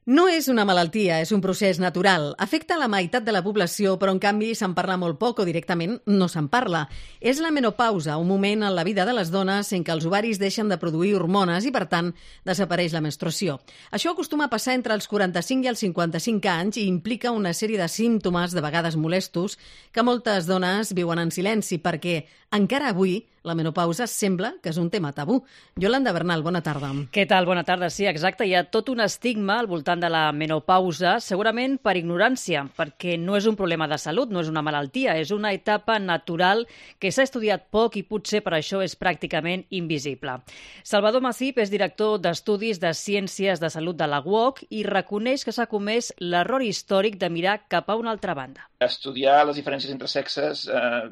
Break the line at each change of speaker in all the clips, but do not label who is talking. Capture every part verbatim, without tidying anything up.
No és una malaltia, és un procés natural. Afecta la meitat de la població, però en canvi se'n parla molt poc o directament no se'n parla. És la menopausa, un moment en la vida de les dones en què els ovaris deixen de produir hormones i, per tant, desapareix la menstruació. Això acostuma a passar entre els quaranta-cinc i els cinquanta-cinc anys i implica una sèrie de símptomes, de vegades molestos, que moltes dones viuen en silenci perquè, encara avui, la menopausa sembla que és un tema tabú. Yolanda Bernal, bona tarda.
Què tal? Bona tarda. Sí, exacte. Hi ha tot un estigma al voltant de la menopausa, segurament per ignorància, perquè no és un problema de salut, no és una malaltia, és una etapa natural que s'ha estudiat poc i potser per això és pràcticament invisible. Salvador Macip és director d'Estudis de Ciències de Salut de la U O C i reconeix que s'ha comès l'error històric de mirar cap a una altra banda.
Estudiar les diferències entre sexes eh,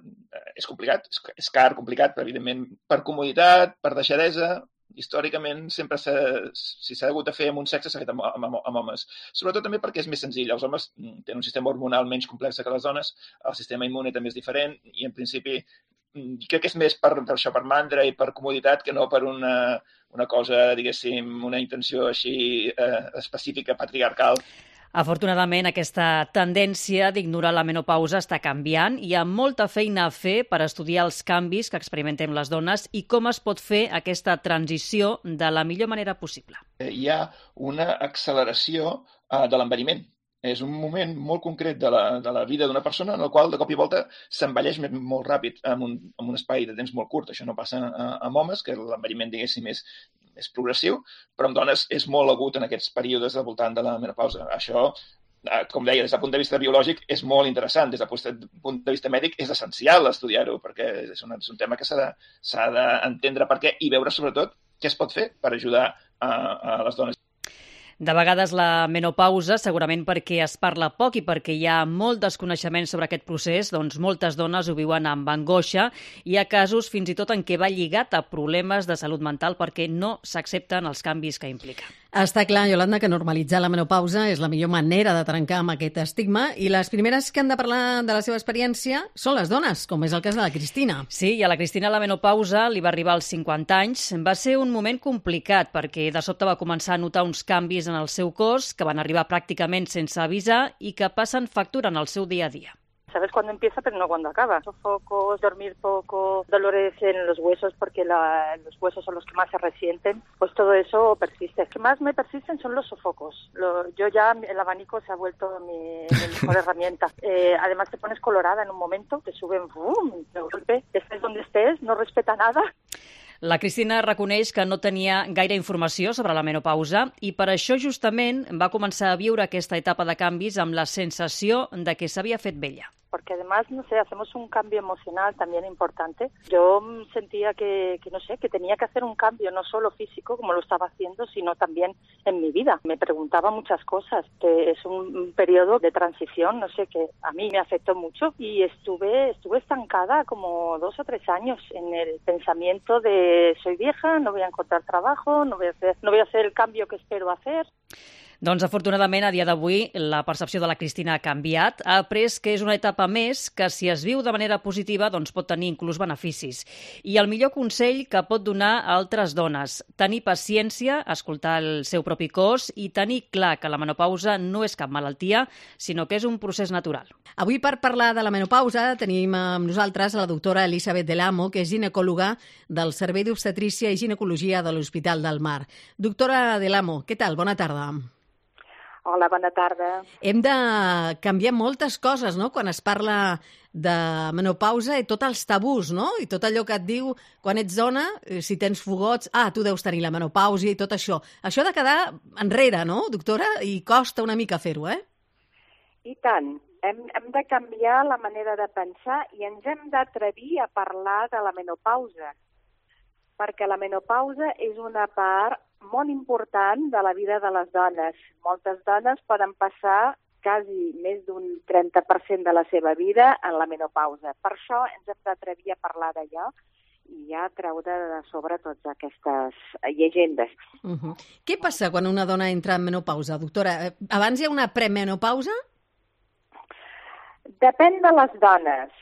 és complicat, és, és car, complicat, però evidentment per comoditat, per deixadesa, històricament sempre s'ha, si s'ha hagut de fer amb un sexe s'ha fet amb, amb, amb homes. Sobretot també perquè és més senzill. Els homes tenen un sistema hormonal menys complex que les dones, el sistema immune també és diferent i en principi crec que és més per, per això, per mandra i per comoditat que no per una, una cosa, diguéssim, una intenció així eh, específica, patriarcal.
Afortunadament, aquesta tendència d'ignorar la menopausa està canviant. Hi ha molta feina a fer per estudiar els canvis que experimentem les dones i com es pot fer aquesta transició de la millor manera possible.
Hi ha una acceleració uh, de l'envelliment. És un moment molt concret de la, de la vida d'una persona en el qual de cop i volta s'envelleix molt ràpid en un, en un espai de temps molt curt. Això no passa amb homes, que l'envelliment, diguéssim, és, és progressiu, però amb dones és molt agut en aquests períodes al voltant de la menopausa. Això, com deia, des del punt de vista biològic és molt interessant. Des del punt de vista mèdic és essencial estudiar-ho, perquè és un, és un tema que s'ha de, s'ha d'entendre per què i veure, sobretot, què es pot fer per ajudar a, a les dones.
De vegades la menopausa, segurament perquè es parla poc i perquè hi ha molt desconeixement sobre aquest procés, doncs moltes dones ho viuen amb angoixa. Hi ha casos fins i tot en què va lligat a problemes de salut mental perquè no s'accepten els canvis que implica.
Està clar, Yolanda, que normalitzar la menopausa és la millor manera de trencar amb aquest estigma i les primeres que han de parlar de la seva experiència són les dones, com és el cas de la Cristina.
Sí, i a la Cristina la menopausa li va arribar als cinquanta anys. Va ser un moment complicat perquè de sobte va començar a notar uns canvis en el seu cos que van arribar pràcticament sense avisar i que passen factura en el seu dia a dia.
Sabes cuándo empieza, pero no cuando acaba. Sofocos, dormir poco, dolores en los huesos porque la, los huesos son los que más se resienten, pues todo eso persiste. Lo que más me persisten son los sofocos. Lo, yo ya, el abanico se ha vuelto mi, mi mejor herramienta. Eh, además te pones colorada en un momento, te suben, ¡bum!, de golpe, estés donde estés, no respeta nada.
La Cristina reconeix que no tenia gaire informació sobre la menopausa i per això justament va començar a viure aquesta etapa de canvis amb la sensació de que s'havia fet vella.
Porque además, no sé, hacemos un cambio emocional también importante. Yo sentía que, que, no sé, que tenía que hacer un cambio no solo físico, como lo estaba haciendo, sino también en mi vida. Me preguntaba muchas cosas, que es un, un periodo de transición, no sé, que a mí me afectó mucho y estuve, estuve estancada como dos o tres años en el pensamiento de soy vieja, no voy a encontrar trabajo, no voy a hacer, no voy a hacer el cambio que espero hacer.
Doncs, afortunadament, a dia d'avui, la percepció de la Cristina ha canviat. Ha après que és una etapa més que, si es viu de manera positiva, doncs pot tenir inclús beneficis. I el millor consell que pot donar a altres dones, tenir paciència, escoltar el seu propi cos i tenir clar que la menopausa no és cap malaltia, sinó que és un procés natural.
Avui, per parlar de la menopausa, tenim amb nosaltres la doctora Elisabet Del Amo, que és ginecòloga del Servei d'Obstetrícia i Ginecologia de l'Hospital del Mar. Doctora Del Amo, què tal? Bona tarda.
Hola, bona tarda.
Hem de canviar moltes coses, no?, quan es parla de menopausa i tots els tabús, no?, i tot allò que et diu quan ets dona, si tens fogots, ah, tu deus tenir la menopausa i tot això. Això ha de quedar enrere, no, doctora? I costa una mica fer-ho, eh?
I tant. Hem, hem de canviar la manera de pensar i ens hem d'atrevir a parlar de la menopausa, perquè la menopausa és una part molt important de la vida de les dones. Moltes dones poden passar quasi més d'un trenta per cent de la seva vida en la menopausa. Per això ens hem d'atrevir a parlar d'allò i ja treure de sobre totes aquestes llegendes.
Uh-huh. Què passa quan una dona entra en menopausa, doctora? Abans hi ha una premenopausa?
Depèn de les dones.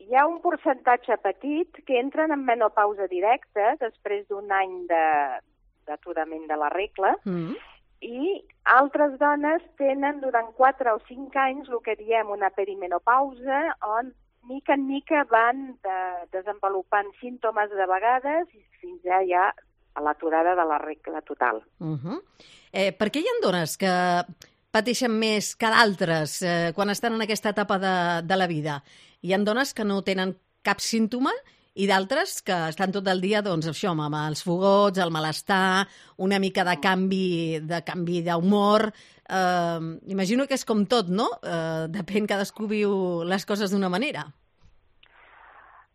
Hi ha un percentatge petit que entren en menopausa directa després d'un any de d'aturament de la regla, mm. I altres dones tenen durant quatre o cinc anys el que diem una perimenopausa, on mica en mica van de, desenvolupant símptomes de vegades i fins ja hi ha a l'aturada de la regla total.
Uh -huh. eh, per què hi ha dones que pateixen més que d'altres eh, quan estan en aquesta etapa de, de la vida? Hi ha dones que no tenen cap símptoma i d'altres que estan tot el dia, doncs, això, amb els fogots, el malestar, una mica de canvi de canvi d'humor. Eh, imagino que és com tot, no? Eh, depèn, cadascú viu les coses d'una manera.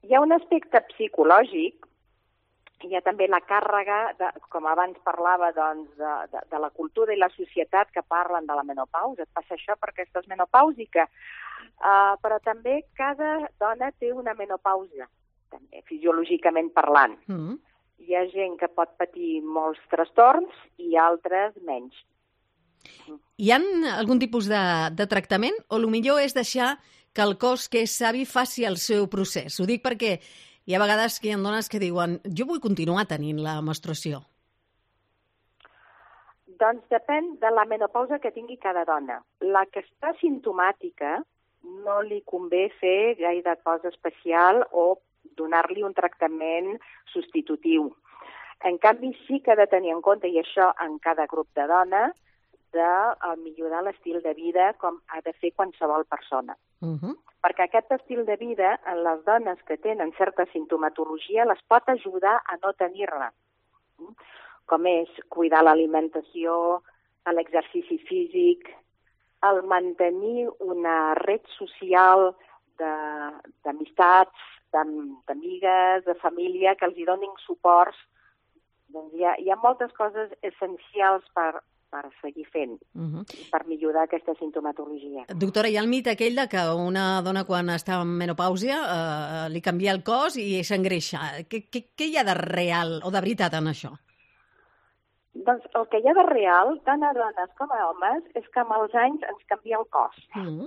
Hi ha un aspecte psicològic, hi ha també la càrrega, de, com abans parlava, doncs, de, de, de la cultura i la societat que parlen de la menopausa. Et passa això perquè estàs menopàusica. Uh, però també cada dona té una menopausa, també, fisiològicament parlant. Mm. Hi ha gent que pot patir molts trastorns i altres menys.
Hi ha algun tipus de, de tractament o el millor és deixar que el cos que és savi faci el seu procés? Ho dic perquè hi ha vegades que hi ha dones que diuen jo vull continuar tenint la menstruació.
Doncs depèn de la menopausa que tingui cada dona. La que està simptomàtica no li convé fer gaire cosa especial o donar-li un tractament substitutiu. En canvi, sí que ha de tenir en compte, i això en cada grup de dones, de millorar l'estil de vida com ha de fer qualsevol persona. Uh -huh. Perquè aquest estil de vida, en les dones que tenen certa simptomatologia, les pot ajudar a no tenir-la. Com és cuidar l'alimentació, l'exercici físic, el mantenir una red social d'amistats, d'amigues, de família, que els hi donin suports. Doncs hi ha, hi ha moltes coses essencials per, per seguir fent, uh-huh. per millorar aquesta simptomatologia.
Doctora, hi ha el mite aquell de que una dona quan està en menopàusia eh, li canvia el cos i s'engreixa. Què, què, què hi ha de real o de veritat en això?
Doncs el que hi ha de real, tant a dones com a homes, és que amb els anys ens canvia el cos. Mm.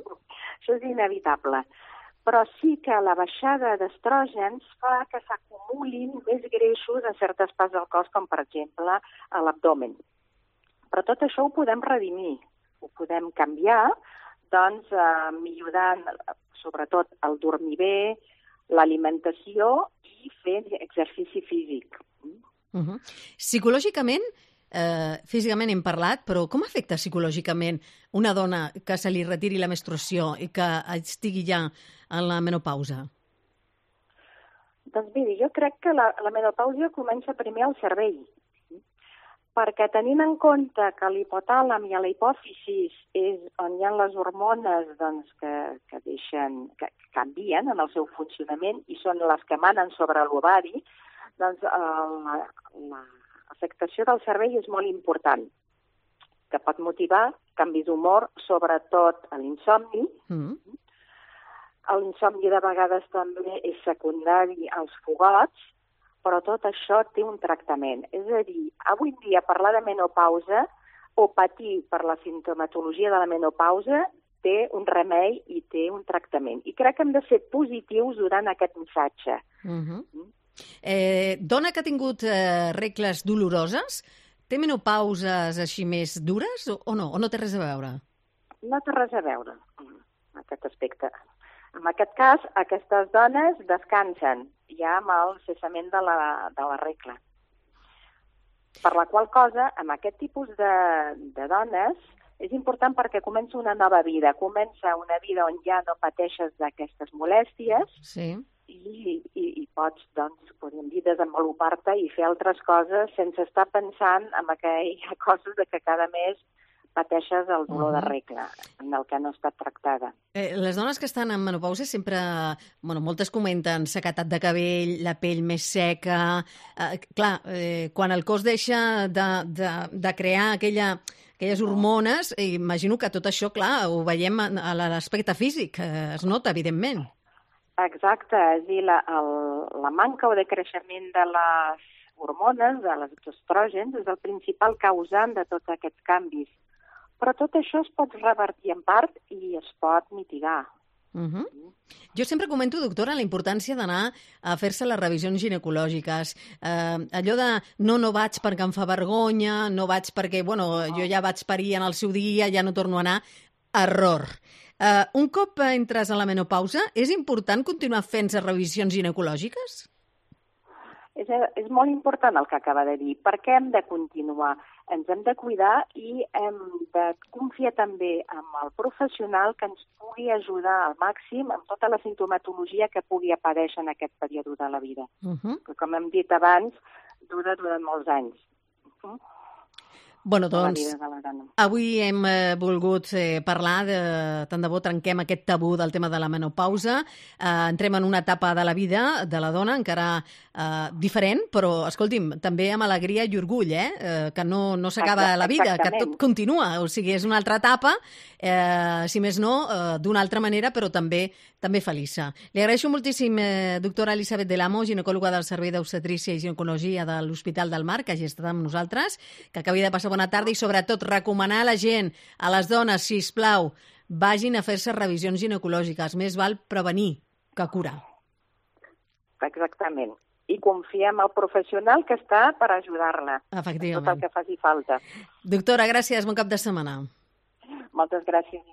Això és inevitable. Però sí que la baixada d'estrògens fa que s'acumulin més greixos a certes parts del cos, com per exemple a l'abdomen. Però tot això ho podem redimir, ho podem canviar, doncs eh, millorant sobretot el dormir bé, l'alimentació i fer exercici físic.
Uh-huh. Psicològicament, eh, físicament hem parlat, però com afecta psicològicament una dona que se li retiri la menstruació i que estigui ja en la menopausa?
Doncs miri, jo crec que la, la menopausa comença primer al cervell, perquè tenint en compte que l'hipotàlam i a la hipòfisis és on hi ha les hormones doncs, que, que, deixen, que canvien en el seu funcionament i són les que manen sobre l'ovari, doncs l'afectació del cervell és molt important, que pot motivar canvis d'humor, sobretot a l'insomni. Mm. L'insomni de vegades també és secundari als fogots, però tot això té un tractament. És a dir, avui dia parlar de menopausa o patir per la simptomatologia de la menopausa té un remei i té un tractament. I crec que hem de ser positius durant aquest missatge.
Uh-huh. mm? Eh, dona que ha tingut eh, regles doloroses, té menopauses així més dures o, o no? O no té res a veure?
No té res a veure en aquest aspecte. En aquest cas, aquestes dones descansen ja amb el cessament de la, de la regla. Per la qual cosa, amb aquest tipus de, de dones, és important perquè comença una nova vida. Comença una vida on ja no pateixes d'aquestes molèsties. Sí. I, i, i pots, doncs, podríem dir, desenvolupar-te i fer altres coses sense estar pensant en aquelles coses de que cada mes pateixes el dolor uh-huh. de regla, en el que no ha estat tractada.
Eh, les dones que estan en menopausa sempre, bueno, moltes comenten sequedat de cabell, la pell més seca. Eh, clar, eh, quan el cos deixa de, de, de crear aquella, aquelles hormones, eh, imagino que tot això, clar, ho veiem a l'aspecte físic, eh, es nota, evidentment.
Exacte, és a dir, la, el, la manca o de creixement de les hormones, de les estrògens, és el principal causant de tots aquests canvis. Però tot això es pot revertir en part i es pot mitigar.
Uh-huh. Jo sempre comento, doctora, la importància d'anar a fer-se les revisions ginecològiques. Eh, allò de no, no vaig perquè em fa vergonya, no vaig perquè, bueno, jo ja vaig parir en el seu dia, ja no torno a anar. Error. Eh, un cop entres a la menopausa, és important continuar fent-se revisions ginecològiques?
És, és molt important el que acaba de dir. Per què hem de continuar? Ens hem de cuidar i hem de confiar també en el professional que ens pugui ajudar al màxim amb tota la sintomatologia que pugui aparèixer en aquest període de la vida. Uh-huh. Que, com hem dit abans, dura durant molts anys. Uh-huh.
Bueno, doncs, avui hem eh, volgut eh, parlar de... Tant de bo trenquem aquest tabú del tema de la menopausa. Eh, entrem en una etapa de la vida de la dona encara eh, diferent, però, escolti'm, també amb alegria i orgull, eh? eh que no, no s'acaba la vida, que tot continua. O sigui, és una altra etapa, eh, si més no, eh, d'una altra manera, però també també feliça. Li agraeixo moltíssim, eh, doctora Elisabet Del Amo, ginecòloga del Servei d'Obstetrícia i Ginecologia de l'Hospital del Mar, que hagi estat amb nosaltres, que acabi de passar bona tarda i, sobretot, recomanar a la gent, a les dones, sisplau, vagin a fer-se revisions ginecològiques. Més val prevenir que curar.
Exactament. I confiar en el professional que està per ajudar-la.
Efectivament.
Tot el que faci falta.
Doctora, gràcies. Bon cap de setmana.
Moltes gràcies.